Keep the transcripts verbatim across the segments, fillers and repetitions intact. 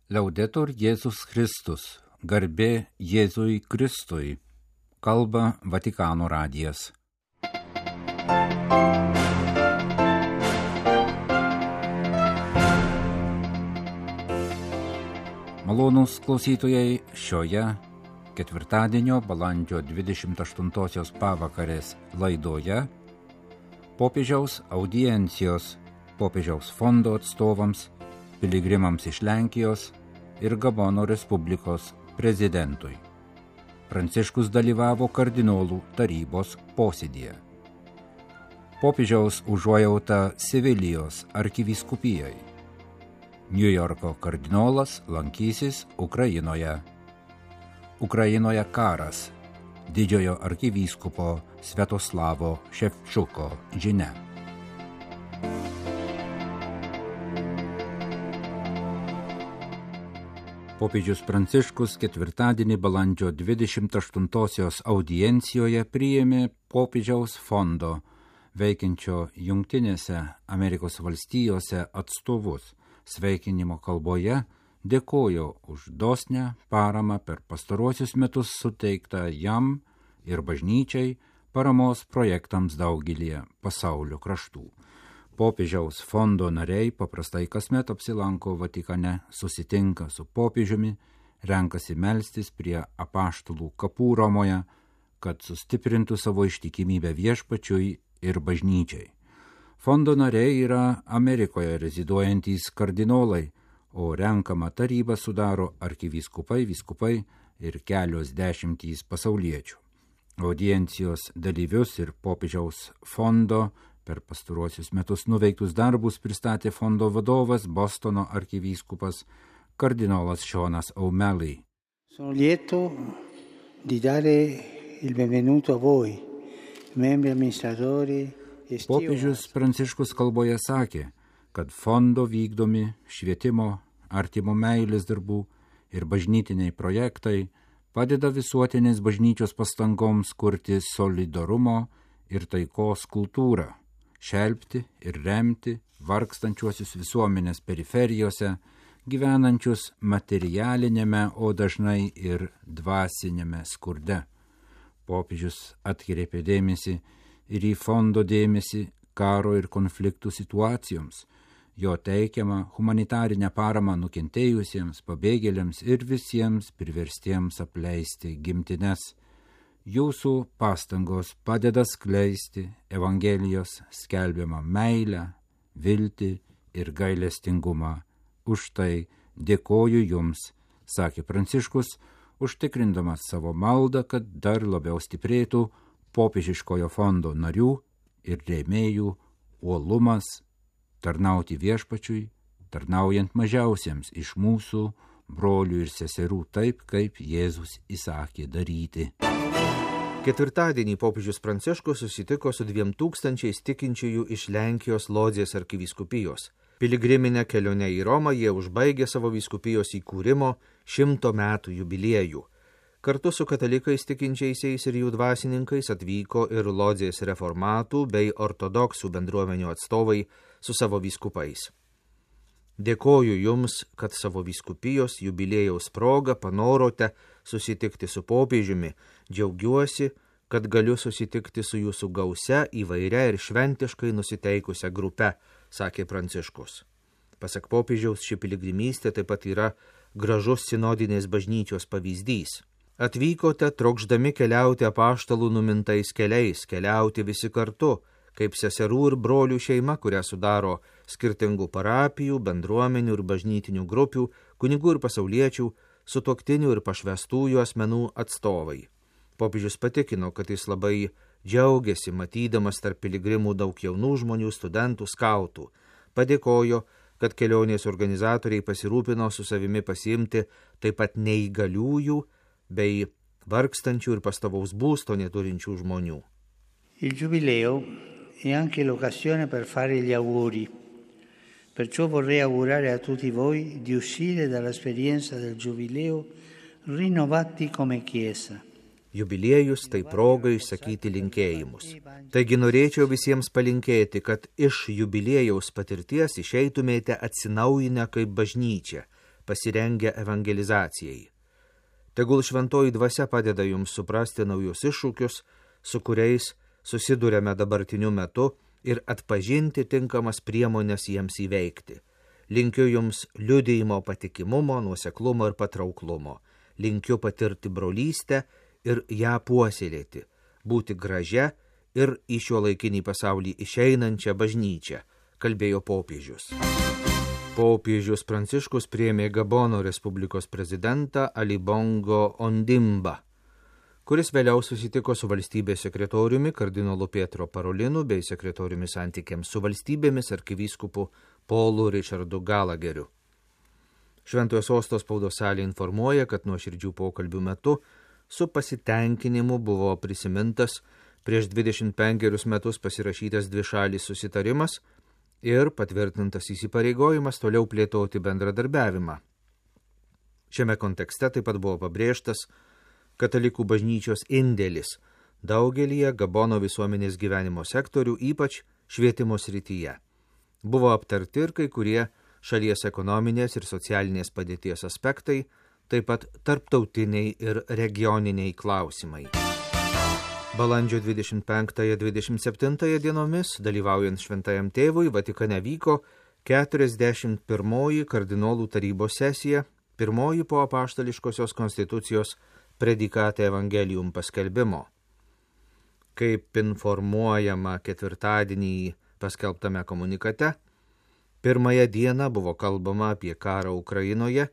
Liaudetur Jėzus Kristus, garbė Jėzui Kristui, kalba Vatikano radijas. Malonūs klausytojai, šioje ketvirtadienio balandžio dvidešimt aštuntosios pavakarės laidoje popiežiaus audiencijos popiežiaus fondo atstovams, piligrimams iš Lenkijos ir Gabono Respublikos prezidentui. Pranciškus dalyvavo kardinolų tarybos posėdyje. Popiežiaus užuojauta Sevilijos arkivyskupijai. Niujorko kardinolas lankysis Ukrainoje. Ukrainoje karas. Didžiojo arkivyskupo Sviatoslavo Ševčuko žinia. Popiežius Pranciškus ketvirtadienį balandžio dvidešimt aštuntosios audiencijoje priėmė popiežiaus fondo veikiančio Jungtinėse Amerikos valstijose atstovus. Sveikinimo kalboje dėkojo už dosnią paramą per pastaruosius metus suteiktą jam ir bažnyčiai paramos projektams daugelį pasaulio kraštų. Popiežiaus fondo nariai paprastai kasmet apsilanko Vatikane, susitinka su popiežiumi, renkasi melstis prie apaštalų kapų Romoje, kad sustiprintų savo ištikimybę viešpačiui ir bažnyčiai. Fondo nariai yra Amerikoje reziduojantys kardinolai, o renkamą tarybą sudaro arkivyskupai, vyskupai ir kelios dešimtys pasauliečių. Audiencijos dalyvius ir popiežiaus fondo per pastaruosius metus nuveiktus darbus pristatė fondo vadovas Bostono arkivyskupas kardinolas Seanas O'Malley. Sono lieto di dare il benvenuto a voi, membri amministratori. Popiežius Pranciškus kalboje sakė, kad fondo vykdomi švietimo, artimo meilės darbų ir bažnytiniai projektai padeda visuotinės bažnyčios pastangoms kurti solidarumo ir taikos kultūrą, šelpti ir remti vargstančiuosius visuomenės periferijose, gyvenančius materialinėme, o dažnai ir dvasinėme skurde. Popiežius atkreipė dėmesį ir į fondo dėmesį karo ir konfliktų situacijoms, jo teikiamą humanitarinę paramą nukentėjusiems, pabėgėliams ir visiems priverstiems apleisti gimtines. Jūsų pastangos padeda skleisti Evangelijos skelbiamą meilę, viltį ir gailestingumą. Už tai dėkoju jums, sakė Pranciškus, užtikrindamas savo maldą, kad dar labiau stiprėtų popiežiškojo fondo narių ir rėmėjų uolumas tarnauti viešpačiui, tarnaujant mažiausiems iš mūsų brolių ir seserų taip, kaip Jėzus įsakė daryti. Ketvirtadienį popiežius Pranciškus susitiko su dviem tūkstančiais tikinčiųjų iš Lenkijos Lodzės arkivyskupijos. Piligriminę kelionę į Romą jie užbaigė savo vyskupijos įkūrimo šimto metų jubiliejų. Kartu su katalikais tikinčiaisiais ir jų dvasininkais atvyko ir Lodzės reformatų bei ortodoksų bendruomenių atstovai su savo vyskupais. Dėkoju jums, kad savo vyskupijos jubiliejaus proga panorote susitikti su popiežiumi. Džiaugiuosi, kad galiu susitikti su jūsų gausia, įvairia ir šventiškai nusiteikusia grupe, sakė Pranciškus. Pasak popiežiaus, ši piligrimystė taip pat yra gražus sinodinės bažnyčios pavyzdys. Atvykote trokšdami keliauti apaštalų numintais keliais, keliauti visi kartu, kaip seserų ir brolių šeima, kurią sudaro skirtingų parapijų, bendruomenių ir bažnytinių grupių, kunigų ir pasauliečių, sutuoktinių ir pašvestųjų asmenų atstovai. Popiežius patikino, kad jis labai džiaugiasi matydamas tarp piligrimų daug jaunų žmonių, studentų, skautų. Padėkojo, kad kelionės organizatoriai pasirūpino su savimi pasiimti taip pat neįgaliųjų bei vargstančių ir pastovaus būsto neturinčių žmonių. Il giubileo è anche l'occasione per fare gli auguri. Perciò vorrei augurare a tutti voi di uscire dall'esperienza del giubileo rinnovati come Chiesa. Jubiliejus tai proga išsakyti linkėjimus. Taigi norėčiau visiems palinkėti, kad iš jubiliejaus patirties išeitumėte atsinaujinę kaip bažnyčia, pasirengę evangelizacijai. Tegul šventoji dvasia padeda jums suprasti naujus iššūkius, su kuriais susidurėme dabartiniu metu ir atpažinti tinkamas priemonės jiems įveikti. Linkiu jums liudijimo patikimumo, nuoseklumo ir patrauklumo. Linkiu patirti brolystę ir ją puoselėti, būti gražia ir į šio laikinį pasaulį išeinančią bažnyčią, kalbėjo popiežius. Popiežius Pranciškus priėmė Gabono Respublikos prezidentą Ali Bongo Ondimba, kuris vėliau susitiko su valstybės sekretoriumi kardinolu Pietro Parolinu bei sekretoriumi santykiams su valstybėmis arkivyskupu Paulu Richardu Galageriu. Šventojo sosto spaudos salė informuoja, kad nuoširdžių pokalbių metu su pasitenkinimu buvo prisimintas prieš dvidešimt penkerius metus pasirašytas dvišalis susitarimas ir patvirtintas įsipareigojimas toliau plėtoti bendradarbiavimą. Šiame kontekste taip pat buvo pabrėžtas katalikų bažnyčios indėlis daugelyje Gabono visuomenės gyvenimo sektorių, ypač švietimo srityje. Buvo aptarti ir kai kurie šalies ekonominės ir socialinės padėties aspektai, taip pat tarptautiniai ir regioniniai klausimai. Balandžio dvidešimt penktąją dvidešimt septintąją dienomis, dalyvaujant šventajam tėvui, Vatikane vyko keturiasdešimt pirmoji kardinolų tarybos sesija, pirmoji po apaštališkosios konstitucijos Predikate Evangelium paskelbimo. Kaip informuojama ketvirtadienį paskelbtame komunikate, pirmąją dieną buvo kalbama apie karą Ukrainoje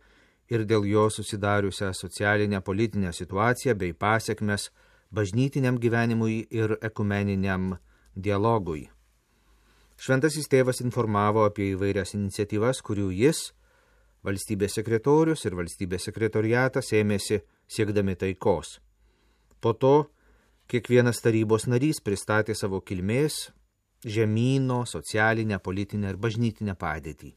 ir dėl jo susidariusią socialinę politinę situaciją bei pasekmes bažnytiniam gyvenimui ir ekumeniniam dialogui. Šventasis tėvas informavo apie įvairias iniciatyvas, kurių jis, valstybės sekretorius ir valstybės sekretoriatas ėmėsi siekdami taikos. Po to kiekvienas tarybos narys pristatė savo kilmės, žemyno, socialinę, politinę ir bažnytinę padėtį.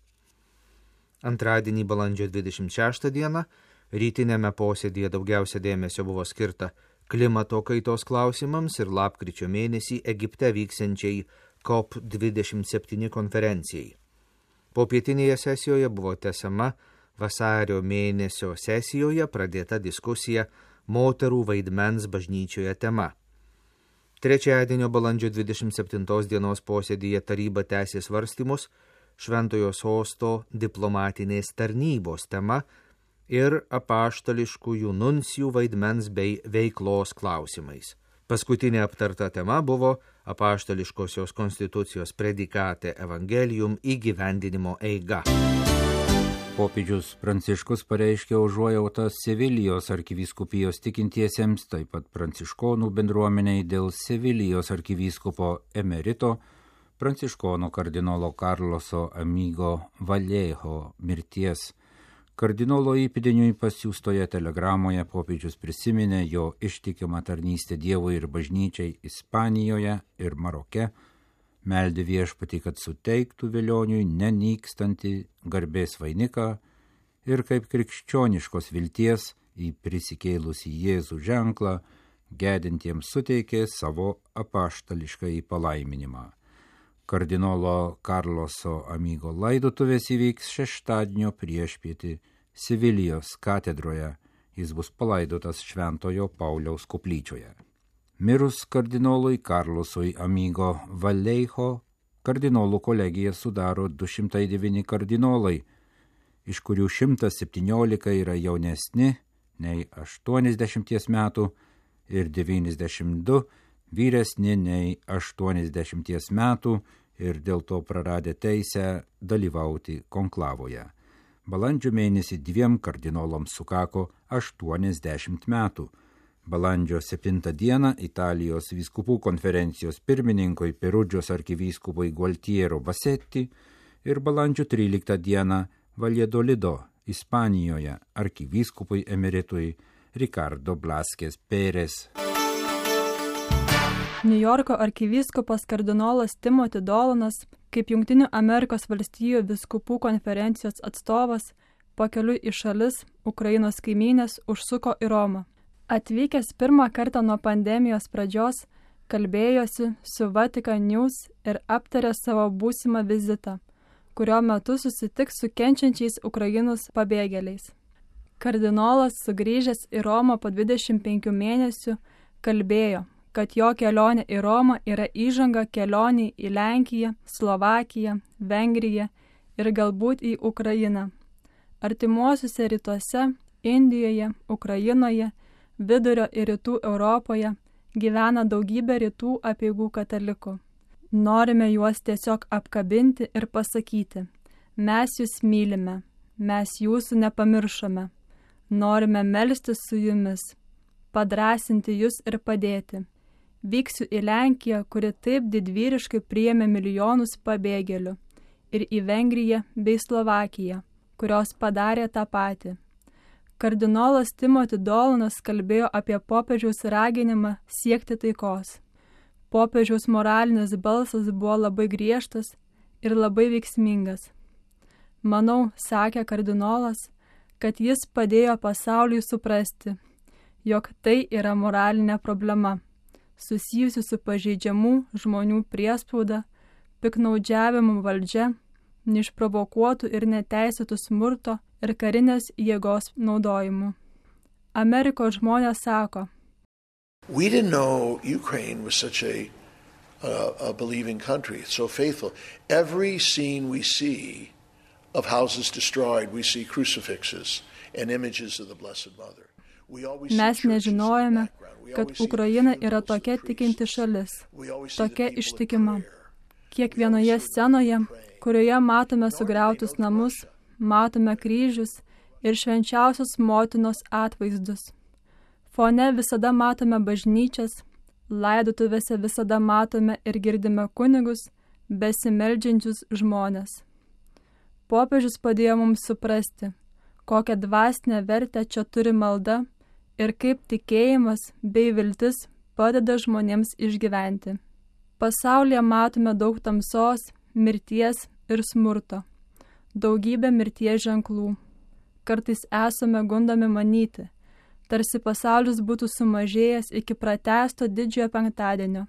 Antradienį balandžio dvidešimt šeštą dieną rytinėme posėdyje daugiausia dėmesio buvo skirta klimato kaitos klausimams ir lapkričio mėnesį Egipte vyksiančiai C O P dvidešimt septyni konferencijai. Popietinėje sesijoje buvo tęsiama vasario mėnesio sesijoje pradėta diskusija moterų vaidmens bažnyčioje tema. Trečiadienio balandžio dvidešimt septintos dienos posėdyje taryba tęsė svarstymus Šventojo sosto diplomatinės tarnybos tema ir apaštališkųjų nuncijų vaidmens bei veiklos klausimais. Paskutinė aptarta tema buvo apaštališkosios konstitucijos Predikate Evangelium įgyvendinimo eiga. Popiežius Pranciškus pareiškė užuojautą Sevilijos arkivyskupijos tikintiesiems, taip pat pranciškonų bendruomeniai dėl Sevilijos arkivyskupo emerito pranciškono kardinolo Karloso Amigo Vallejo mirties. Kardinolo įpėdiniui pasiųstoje telegramoje popiežius prisiminė jo ištikimą tarnystę Dievui ir bažnyčiai Ispanijoje ir Maroke, meldė viešpatį, kad suteiktų velioniui nenykstantį garbės vainiką ir kaip krikščioniškos vilties į prisikėlusį Jėzų ženklą gedintiems suteikė savo apaštališkąjį palaiminimą. Kardinolo Karloso Amigo laidotuvės įvyks šeštadienio priešpietį Sevilijos katedroje. Jis bus palaidotas Šventojo Pauliaus koplyčioje. Mirus kardinolui Karlosui Amigo Vallejo, kardinolų kolegiją sudaro du šimtai devyni kardinolai, iš kurių šimtas septyniolika yra jaunesni nei aštuoniasdešimties metų ir devyniasdešimt du vyresni nei aštuoniasdešimties metų ir dėl to praradę teisę dalyvauti konklavoje. Balandžio mėnesį dviem kardinolams sukako aštuoniasdešimt metų. Balandžio septintą dieną Italijos vyskupų konferencijos pirmininkui Perudžios arkivyskupui Gualtiero Bassetti ir balandžio tryliktą dieną Valladolido, Ispanijoje, arkivyskupui emeritui Ricardo Blasquez Pérez. Niujorko arkivyskupas kardinolas Timothy Dolanas, kaip Jungtinių Amerikos valstijų vyskupų konferencijos atstovas, pakeliui į šalis Ukrainos kaimynės užsuko į Romą. Atvykęs pirmą kartą nuo pandemijos pradžios, kalbėjosi su Vatican News ir aptarė savo būsimą vizitą, kurio metu susitiks su kenčiančiais Ukrainos pabėgėliais. Kardinolas, sugrįžęs į Romą po dvidešimt penkių mėnesių, kalbėjo, kad jo kelionė į Romą yra įžanga kelioniai į Lenkiją, Slovakiją, Vengriją ir galbūt į Ukrainą. Artimuosiuose rytuose, Indijoje, Ukrainoje, Vidurio ir Rytų Europoje gyvena daugybė rytų apeigų katalikų. Norime juos tiesiog apkabinti ir pasakyti, mes jūs mylime, mes jūsų nepamiršome, norime melstis su jumis, padrasinti jūs ir padėti. Vyksiu į Lenkiją, kuri taip didvyriškai priėmė milijonus pabėgėlių, ir į Vengriją bei Slovakiją, kurios padarė tą patį. Kardinolas Timoti Dolanas kalbėjo apie popiežiaus raginimą siekti taikos. Popiežiaus moralinis balsas buvo labai griežtas ir labai veiksmingas. Manau, sakė kardinolas, kad jis padėjo pasauliui suprasti, jog tai yra moralinė problema, susijusi su pažeidžiamų žmonių priespauda, piknaudžiavimu valdžia, neišprovokuotų ir neteisėtų smurto ir karinės jėgos naudojimu. Amerikos žmonės sako, We didn't know Ukraine was such a, uh, a believing country, so faithful. Every scene we see of houses destroyed, we see crucifixes and images of the Blessed Mother. Mes nežinojome, kad Ukraina yra tokia tikinti šalis, tokia ištikima. Kiekvienoje scenoje, kurioje matome sugriautus namus, matome kryžius ir švenčiausios motinos atvaizdus. Fone visada matome bažnyčias, laidotuvėse visada matome ir girdime kunigus, besimeldžiančius žmonės. Popiežius padėjo mums suprasti, kokią dvasinę vertę čia turi malda ir kaip tikėjimas bei viltis padeda žmonėms išgyventi. Pasaulyje matome daug tamsos, mirties ir smurto, daugybę mirties ženklų. Kartais esame gundomi manyti, tarsi pasaulis būtų sumažėjęs iki pratesto didžiojo penktadienio.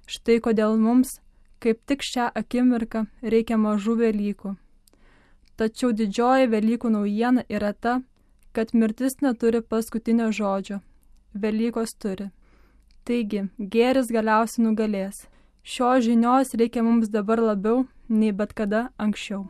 Štai kodėl mums, kaip tik šią akimirką, reikia mažų Velykų. Tačiau didžioji Velykų naujiena yra ta, kad mirtis neturi paskutinio žodžio. Velykos turi. Taigi, gėris galiausiai nugalės. Šios žinios reikia mums dabar labiau nei bet kada anksčiau.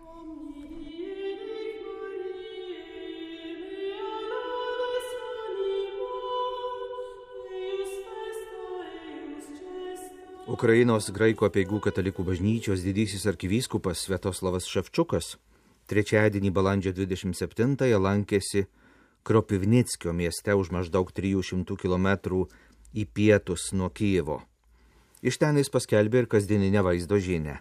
Ukrainos graikų apeigų katalikų bažnyčios didysis arkivyskupas Sviatoslavas Ševčiukas trečiadienį balandžio dvidešimt septintąją lankėsi Kropivnickio mieste už maždaug trijų šimtų kilometrų į pietus nuo Kijevo. Iš ten jis paskelbė ir kasdieninę vaizdo žinią.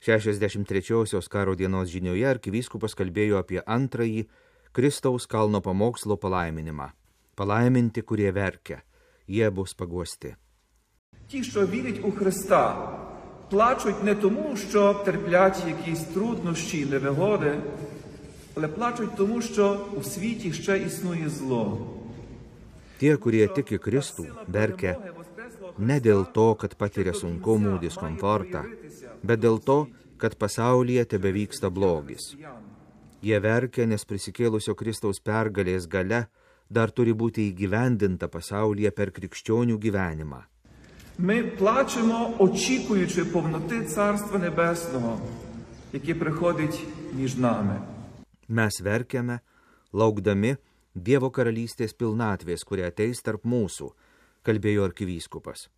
šešiasdešimt trečiosios karo dienos žinioje arkivyskupas kalbėjo apie antrąjį Kristaus kalno pamokslo palaiminimą. Palaiminti, kurie verkia, jie bus paguosti. Ті, що вірять у Христа, плачуть не тому, що терплять якісь труднощі, невигоди, але плачуть тому, що у світі ще існує зло. Tie, kurie tiki Kristų, verkia ne dėl to, kad patiria sunkumų, diskomfortą, bet dėl to, kad pasaulyje tebevyksta blogis. Jie verkia, nes prisikėlusio Kristaus pergalės galia dar turi būti įgyvendinta pasaulyje per krikščionių gyvenimą. Ми плачемо, очікуючи повноти Царства Небесного, яке приходить між нами. Mes verkiame, laukdami Dievo karalystės pilnatvės, kuria ateis tarp mūsų, kalbėjo arkivyskupas.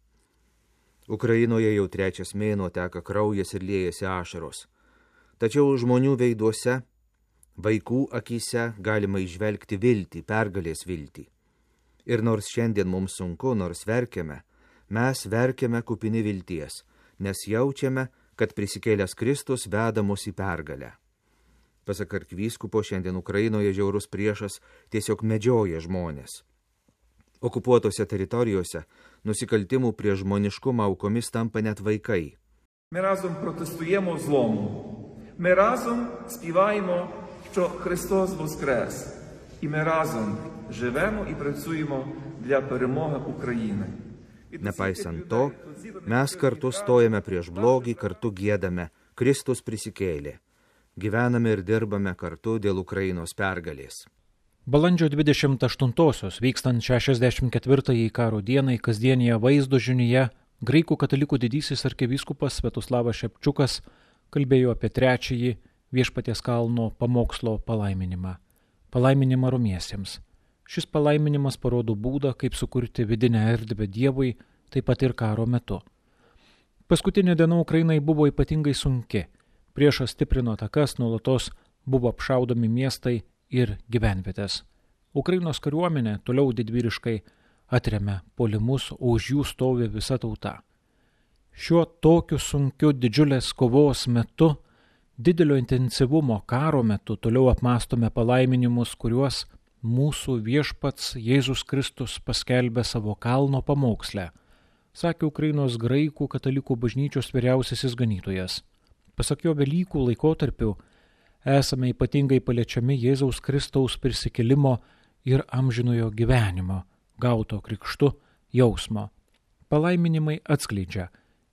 Ukrainoje jau trečias mėnuo teka kraujas ir liejasi ašaros. Tačiau žmonių veiduose, vaikų akyse galima įžvelgti viltį, pergalės viltį. Ir nors šiandien mums sunku, nors verkiame, mes verkiame kupini vilties, nes jaučiame, kad prisikėlęs Kristus veda mus į pergalę. Pasak arkivyskupo, šiandien Ukrainoje žiaurus priešas tiesiog medžioja žmonės. Okupuotose teritorijose nusikaltimų prie žmoniškumą aukomis tampa net vaikai. Ми разом протестуємо злому. Ми разом співаємо, що Христос воскрес. І ми разом живемо і працюємо для перемоги України. Nepaisant to, mes kartu stojame prieš blogį, kartu giedame, Kristus prisikėlė. gyvename ir dirbame kartu dėl Ukrainos pergalės. Balandžio dvidešimt aštuntosios vykstant šešiasdešimt ketvirtajai karo dienai kasdienėje vaizdo žiniuje graikų katalikų didysis arkivyskupas Sviatoslavas Šepčiukas kalbėjo apie trečiąjį Viešpaties kalno pamokslo palaiminimą. Palaiminimą romiesiems. Šis palaiminimas parodo būdą, kaip sukurti vidinę erdvę Dievui, taip pat ir karo metu. Paskutinė diena Ukrainai buvo ypatingai sunki. Priešas stiprino atakas, nuolatos buvo apšaudomi miestai ir gyvenvietės. Ukrainos kariuomenė toliau didvyriškai atremia puolimus, o už jų stovi visa tauta. Šiuo tokiu sunkiu didžiulės kovos metu, didelio intensyvumo karo metu toliau apmastome palaiminimus, kuriuos mūsų viešpats Jėzus Kristus paskelbė savo kalno pamoksle, sakė Ukrainos graikų katalikų bažnyčios vyriausiasis ganytojas. Pasak jo, Velykų laikotarpiu esame ypatingai paliečiami Jėzaus Kristaus prisikėlimo ir amžinojo gyvenimo, gauto krikštu jausmo. Palaiminimai atskleidžia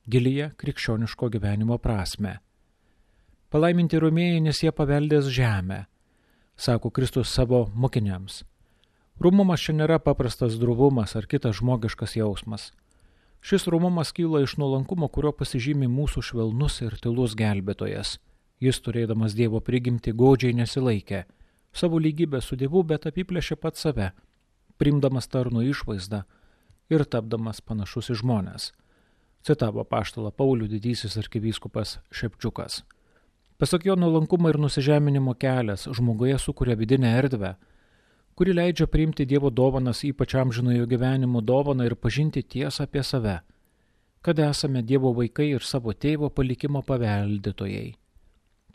gilėje krikščioniško gyvenimo prasme. Palaiminti romėjai, nes jie paveldės žemę, sako Kristus savo mokiniams. Rūmumas čia nėra paprastas drovumas ar kitas žmogiškas jausmas. Šis rūmumas kyla iš nuolankumo, kurio pasižymi mūsų švelnus ir tylus gelbėtojas. Jis, turėdamas Dievo prigimtį, godžiai nesilaikė savo lygybę su Dievu, bet apiplėšė pat save, priimdamas tarno išvaizdą ir tapdamas panašus į žmones. Citavo apaštalą Paulių didysis arkivyskupas Šepčiukas. Pasak jo, nuolankumo ir nusižeminimo kelias žmoguje sukuria vidinę erdvę, kuri leidžia priimti Dievo dovanas, ypač amžinojo gyvenimo dovaną, ir pažinti tiesą apie save, kad esame Dievo vaikai ir savo tėvo palikimo paveldėtojai.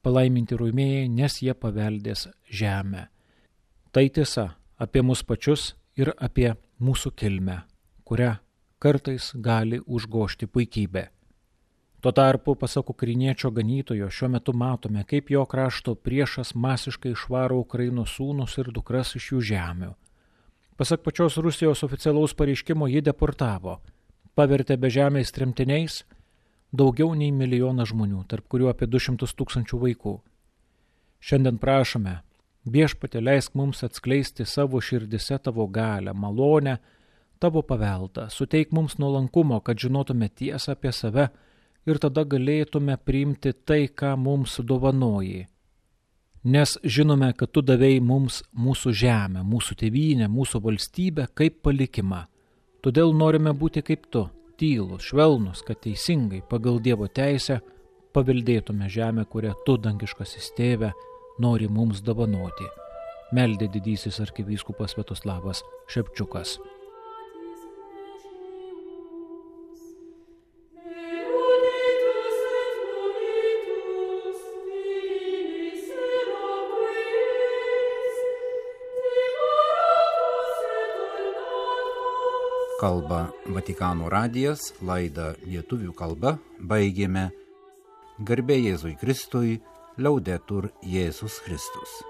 Palaiminti romėjai, nes jie paveldės žemę. Tai tiesa apie mus pačius ir apie mūsų kilmę, kurią kartais gali užgožti puikybė. Tuo tarpu, pasak ukrainiečio ganytojo, šiuo metu matome, kaip jo krašto priešas masiškai išvaro Ukrainos sūnus ir dukras iš jų žemių. Pasak pačios Rusijos oficialaus pareiškimo, ji deportavo, pavertė bežemiais tremtiniais daugiau nei milijoną žmonių, tarp kurių apie du šimtus tūkstančių vaikų. Šiandien prašome, Viešpatie, leisk mums atskleisti savo širdise tavo galią, malonę, tavo paveldą, suteik mums nuolankumo, kad žinotume tiesą apie save ir tada galėtume priimti tai, ką mums dovanoji. Nes žinome, kad tu davei mums mūsų žemę, mūsų tėvynę, mūsų valstybę kaip palikimą. Todėl norime būti kaip tu, tylus, švelnus, kad teisingai pagal Dievo teisę paveldėtume žemę, kurią tu, dangiškasis tėve, nori mums dovanoti. Meldė didysis arkivyskupas Sviatoslavas Šepčiukas. Kalba Vatikano radijas, laidą lietuvių kalba baigėme. Garbė Jėzui Kristui, Liaudetur Jėzus Kristus.